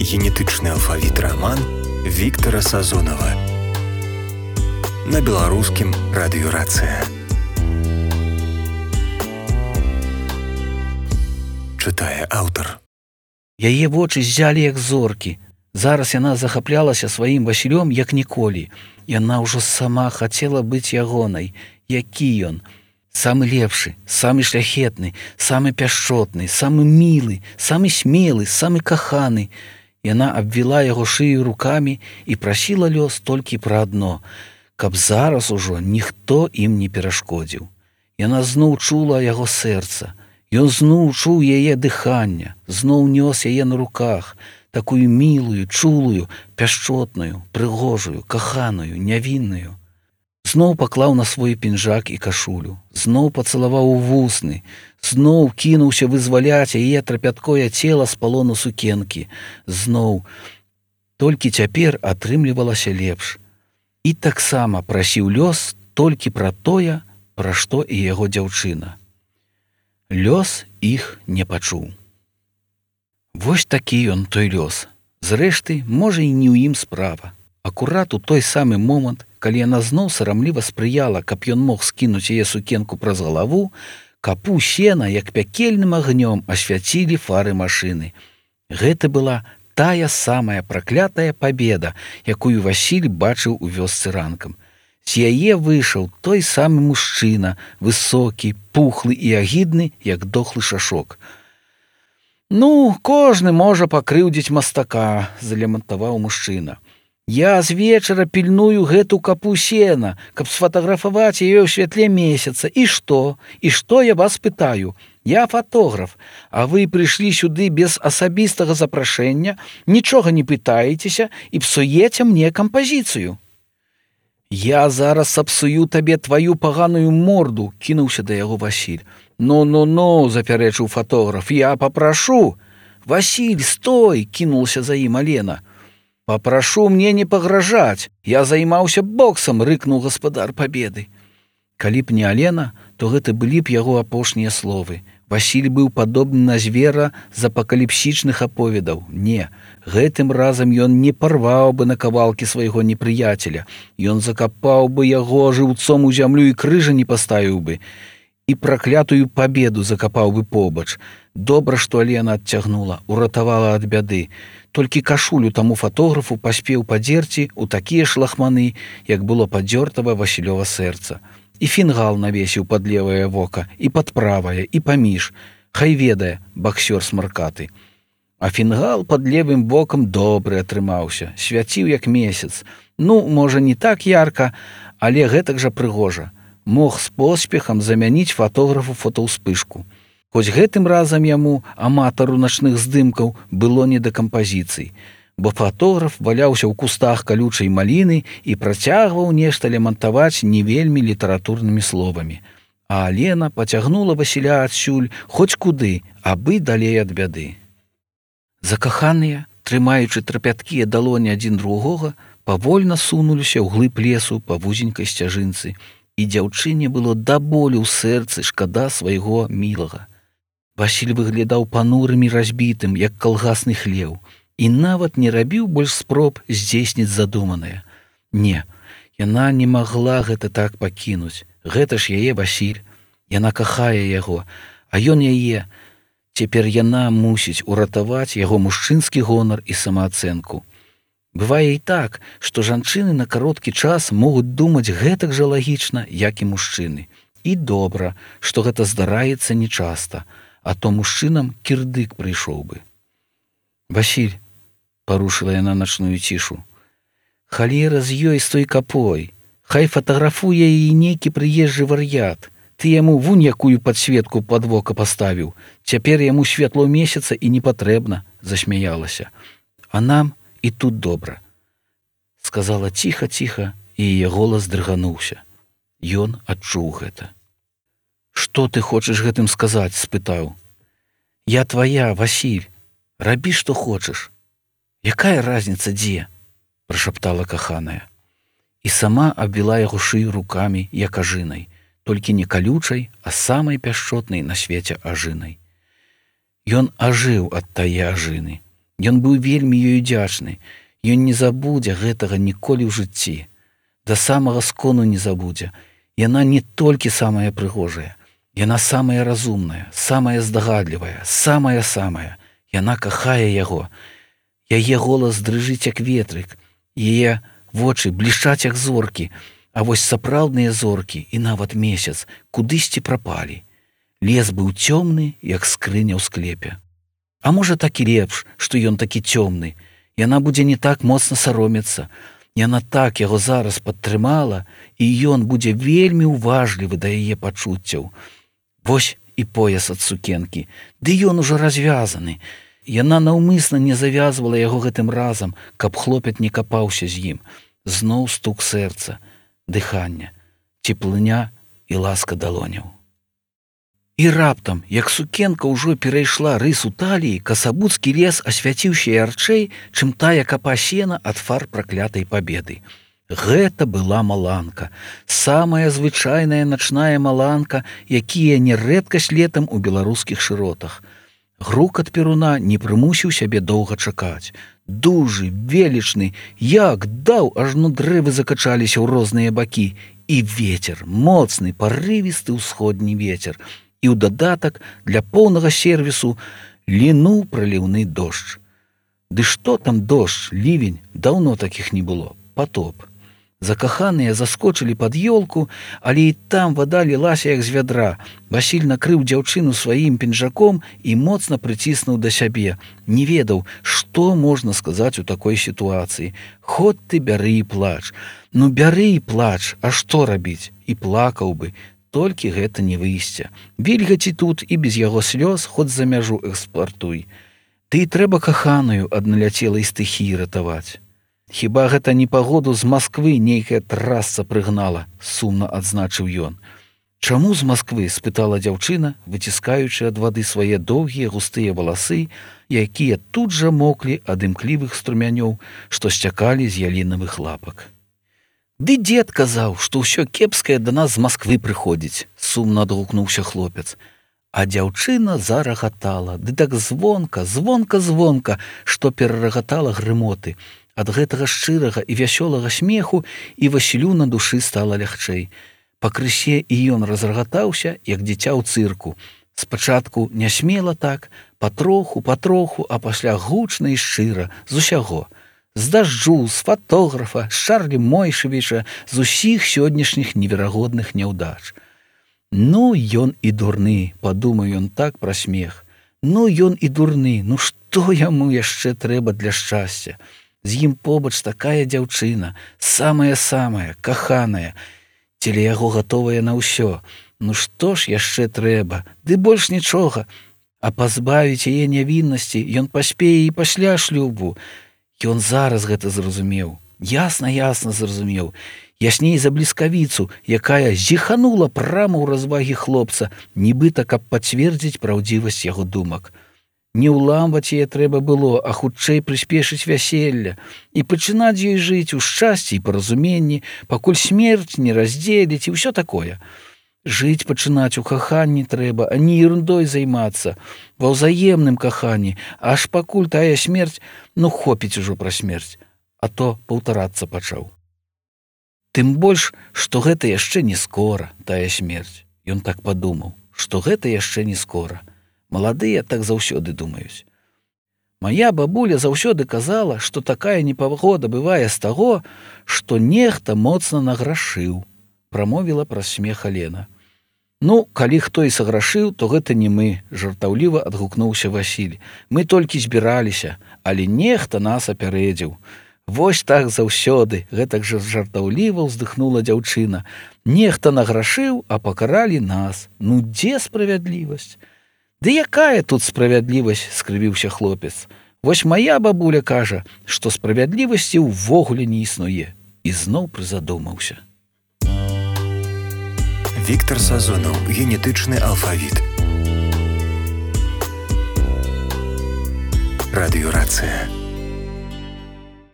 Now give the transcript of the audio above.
Генетычны алфавіт раман Віктара Сазонава на беларускім радыёрацыя. Чытае аўтар. Яе вочы ззялі як зоркі. Зараз яна захаплялася сваім Васілём як ніколі. Яна ўжо сама хацела быць ягонай. Які ён? Самы лепшы, самы шляхетны, самы пяшчотны, самы мілы, самы смелы, самы каханы. Яна абвіла яго шыю рукамі і прасіла лёс толькі пра адно, каб зараз ужо ніхто ім не перашкодзіў. Яна зноў чула яго сэрца. Ён зноў чуў яе дыхання, зноў нёс яе на руках, такую мілую, чулую, пяшчотную, прыгожую, каханую, нявінную. Зноў паклаў на свой пінжак і кашулю, зноў пацалаваў у вусны, зноў кінуўся вызваляць яе трапяткое цела з палону сукенкі. Зноў. Толькі цяпер атрымлівалася лепш. І таксама прасіў лёс толькі пра тое, пра што і яго дзяўчына. Лёс іх не пачуў. Вось такі ён, той лёс. Зрэшты, можа, і не ў ім справа. Акурат у той самы момант, калі яна зноў сарамліва спрыяла, каб ён мог скінуць яе сукенку праз галаву, капу сена, як пякельным агнём, асвяцілі фары машыны. Гэта была тая самая праклятая пабеда, якую Васіль бачыў у вёсцы ранкам. З яе выйшаў той самы мужчына, высокі, пухлы і агідны, як дохлы шашок. «Ну, кожны можа пакрыўдзіць мастака», – залямантаваў мужчына. «Я з вечара пільную гэту капу сена, каб сфатаграфаваць яе ў святле месяца. І што? І што я вас пытаю? Я фатограф, а вы прыйшлі сюды без асабістага запрашэння, нічога не пытаецеся і псуеце мне кампазіцыю». «Я зараз сапсую табе тваю паганую морду», – кінуўся да яго Васіль. «Ну, запярэчыў фатограф, я папрашу». «Васіль, стой!» – кінулася за ім Алена. «Папрашу мне не пагражаць, я займаўся боксам», – рыкнуў гаспадар пабеды. Калі б не Алена, то гэта былі б яго апошнія словы. Васіль быў падобны на звера з апакаліпсічных аповедаў. Не, гэтым разам ён не парваў бы на кавалкі свайго непрыяцеля. Ён закапаў бы яго жыўцом у зямлю і крыжа не паставіў бы. І праклятую пабеду закапаў бы побач. Добра, што Алена адцягнула, уратавала ад бяды. Толькі кашулю таму фатографу паспеў падзерці ў такія ж лахманы, як было падзёртава Васілёва сэрца. І фінгал навесіў пад левае вока, і пад правае, і паміж. Хай ведае, баксёр смаркаты. А фінгал пад левым вокам добры атрымаўся, свяціў як месяц. Ну, можа, не так ярка, але гэтак жа прыгожа. Мог з поспехам замяніць фатографу фотаўспышку. Хоць гэтым разам яму, аматару начных здымкаў, было не да кампазіцый, бо фатограф валяўся ў кустах калючай маліны і працягваў нешта лямантаваць не вельмі літаратурнымі словамі. А Алена пацягнула Васіля адсюль хоць куды, абы далей ад бяды. Закаханыя, трымаючы трапяткія далоні адзін другога, павольна сунуліся ў глыб лесу па вузенькай сцяжынцы, і дзяўчыне было да болю ў сэрцы шкада свайго мілага. Васіль выглядаў панурым і разбітым, як калгасны хлеў, і нават не рабіў больш спроб здзейсніць задуманае. Не, яна не магла гэта так пакінуць. Гэта ж яе Васіль. Яна кахае яго, а ён яе. Цяпер яна мусіць уратаваць яго мужчынскі гонар і самаацэнку. Бывае і так, што жанчыны на кароткі час могуць думаць гэтак жа лагічна, як і мужчыны. І добра, што гэта здараецца нечаста, а то мужчынам кірдык прыйшоў бы. «Васіль», – парушыла яна начную цішу, – «халера з ёй з той капой. Хай фатаграфуе яе нейкі прыезджы вар'ят. Ты яму вунь якую падсветку пад вока паставіў. Цяпер яму святло месяца і не патрэбна», – засмяялася. «А нам і тут добра», – сказала ціха-ціха, і яе голас дрыгануўся. Ён адчуў гэта. «Што ты хочаш гэтым сказаць?» – спытаў. «Я твая, Васіль. Рабі, што хочаш». «Якая разніца дзе?» – прашаптала каханая. І сама абвіла яго шыю рукамі, як ажынай, толькі не калючай, а самай пяшчотнай на свеце ажынай. Ён ажыў ад тае ажыны. Ён быў вельмі ёй удзячны. Ён не забудзе гэтага ніколі ў жыцці. Да самага скону не забудзе. Яна не толькі самая прыгожая. Яна самая разумная, самая здагадлівая, самая. Яна кахае яго. Яе голас дрыжыць, як ветрык. Яе вочы блішчаць, як зоркі. А вось сапраўдныя зоркі і нават месяц кудысьці прапалі. Лес быў цёмны, як скрыня ў склепе. А можа, так і лепш, што ён такі цёмны. Яна будзе не так моцна саромецца. Яна так яго зараз падтрымала, і ён будзе вельмі ўважлівы да яе пачуццяў. Вось і пояс ад сукенкі. Ды ён ужо развязаны. Яна наўмысна не завязвала яго гэтым разам, каб хлопец не капаўся з ім. Зноў стук сэрца, дыхання, цеплыня і ласка далоняў. І раптам, як сукенка ўжо перайшла рысу таліі, касабуцкі лес асвяціўся ярчэй, чым тая капа сена ад фар праклятай пабеды. Гэта была маланка, самая звычайная начная маланка, якія не рэдкасць летам у беларускіх шыротах. Грукат перуна не прымусіў сябе доўга чакаць. Дужы, велічны, як даў, ажно дрэвы закачаліся ў розныя бакі. І вецер, моцны, парывісты ўсходні вецер. І ў дадатак для поўнага сервісу лінуў праліўны дождж. Ды што там дождж, лівень, даўно такіх не было, патоп. Закаханыя заскочылі пад ёлку, але і там вада лілася, як з вядра. Васіль накрыў дзяўчыну сваім пінжаком і моцна прыціснуў да сябе. Не ведаў, што можна сказаць у такой сітуацыі. Хоць ты бяры і плач. Ну бяры і плач, а што рабіць? І плакаў бы. Толькі гэта не выйсце. Вільгаці тут і без яго слёз хоць за мяжу экспартуй. Ты і трэба каханую ад наляцелай стыхіі ратаваць. Хіба гэта непагоду з Масквы нейкая трасца прыгнала, сумна адзначыў ён. Чаму з Масквы? Спытала дзяўчына, выціскаючы ад вады свае доўгія густыя валасы, якія тут жа моклі ад імклівых струмянёў, што сцякалі з ялінавых лапак. Ды дзед казаў, што ўсё кепскае да нас з Масквы прыходзіць, сумна адгукнуўся хлопец. А дзяўчына зарагатала, ды так звонка, што перарагатала грымоты. Ад гэтага шчырага і вясёлага смеху і Васілю на душы стала лягчэй. Пакрысе і ён разрагатаўся, як дзіця ў цырку. Спачатку нясмела так, патроху, а пасля гучна і шчыра, з усяго. З дажджу, з фатографа, з Чарлі Мойшавіча, з усіх сённяшніх неверагодных няўдач. Ну, ён і дурны, падумаў ён так пра смех. Ну, ён і дурны, ну што яму яшчэ трэба для шчасця? З ім побач такая дзяўчына, самая, каханая, целя яго гатовая на ўсё. Ну што ж яшчэ трэба? Ды больш нічога. А пазбавіць яе нявіннасці ён паспее і пасля шлюбу. Ён зараз гэта зразумеў. Ясна зразумеў. Ясней за бліскавіцу, якая зіханула прама ў развагі хлопца, нібыта каб пацвердзіць праўдзівасць яго думак. Не ўламваць яе трэба было, а хутчэй прыспешыць вяселля і пачынаць ёй жыць у шчасці і паразуменні, пакуль смерць не раздзеліць і ўсё такое. Жыць пачынаць у каханні трэба, а не ерундой займацца, ва ўзаемным каханні, аж пакуль тая смерць, ну хопіць ужо пра смерць, а то паўтарацца пачаў. Тым больш, што гэта яшчэ не скора, тая смерць. Ён так падумаў, што гэта яшчэ не скора. Маладыя так заўсёды думаюць. Мая бабуля заўсёды казала, што такая непагода бывае з таго, што нехта моцна награшыў, прамовіла праз смех Алена. Ну, калі хто і саграшыў, то гэта не мы, жартаўліва адгукнуўся Васіль. Мы толькі збіраліся, але нехта нас апярэдзіў. Вось так заўсёды, гэтак жа жартаўліва ўздыхнула дзяўчына. Нехта награшыў, а пакаралі нас. Ну, дзе справядлівасць? Ды якая тут справядлівасць, скрывіўся хлопец. Вось мая бабуля кажа, што справядлівасці ўвогуле не існуе. І зноў прызадумаўся. Віктор Сазонаў, генетычны алфавіт. Радыёрацыя.